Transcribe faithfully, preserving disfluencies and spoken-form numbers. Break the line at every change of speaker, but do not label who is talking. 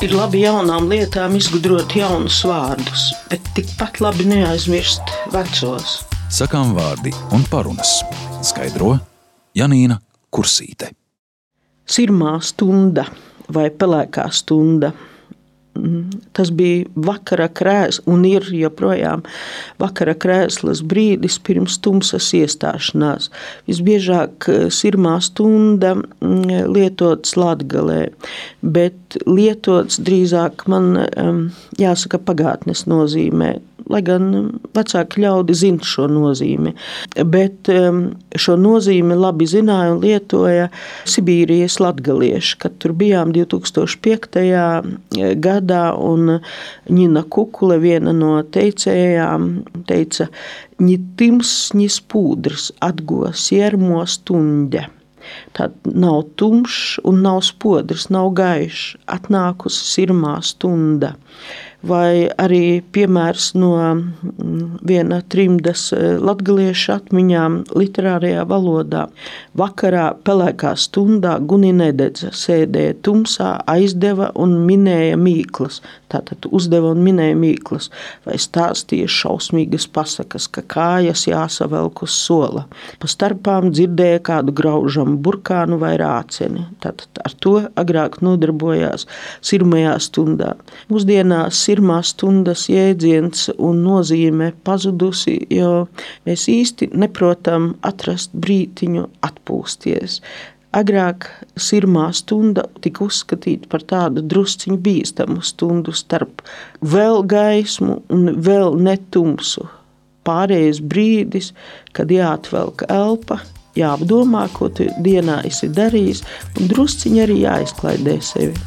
Ir labi jaunām lietām izgudrot jaunus vārdus, bet tikpat labi neaizmirst vecos.
Sakām vārdi un parunas. Skaidro Janīna Kursīte.
Sirmā stunda vai pelēkā stunda. Tas bija vakara krēsls un ir joprojām vakara krēslas brīdis pirms tumsas iestāšanās. Visbiežāk sirmā stunda lietots Latgalē, bet lietots drīzāk man jāsaka pagātnes nozīmē. Lai gan vecāki ļaudi zina šo nozīmi, bet šo nozīmi labi zināja un lietoja Sibīrijas latgalieši, kad tur bijām divi tūkstoši piektajā gadā, un Ņina Kukule, viena no teicējām, teica: "Ni tims, ni spūdrs atgo siermo stundē." Tad nav tumšs un nav spodrs, nav gaišs, atnākusi sirmā stunda. Vai arī piemērs no viena trimdas latgaliešu atmiņām literārajā valodā. Vakarā pelēkā stundā Guni nededza, sēdēja tumsā, aizdeva un minēja mīklas. Tātad uzdeva un minēja mīklas, vai stāstīja šausmīgas pasakas, ka kājas jāsavelk uz sola. Pa starpām dzirdēja kādu graužamu burkānu vai rāceni. Tātad ar to agrāk nodarbojās sirmajā stundā. Mūsdienās sirmā stundas jēdziens un nozīme pazudusi, jo mēs īsti neprotam atrast brītiņu atpūsties. Agrāk sirmā stunda tika uzskatīta par tādu drusciņu bīstamu stundu starp vēl gaismu un vēl netumsu. Pārējais brīdis, kad jāatvelk elpa, jāapdomā, ko tu dienā esi darījis, un drusciņi arī jāizklaidē sevi.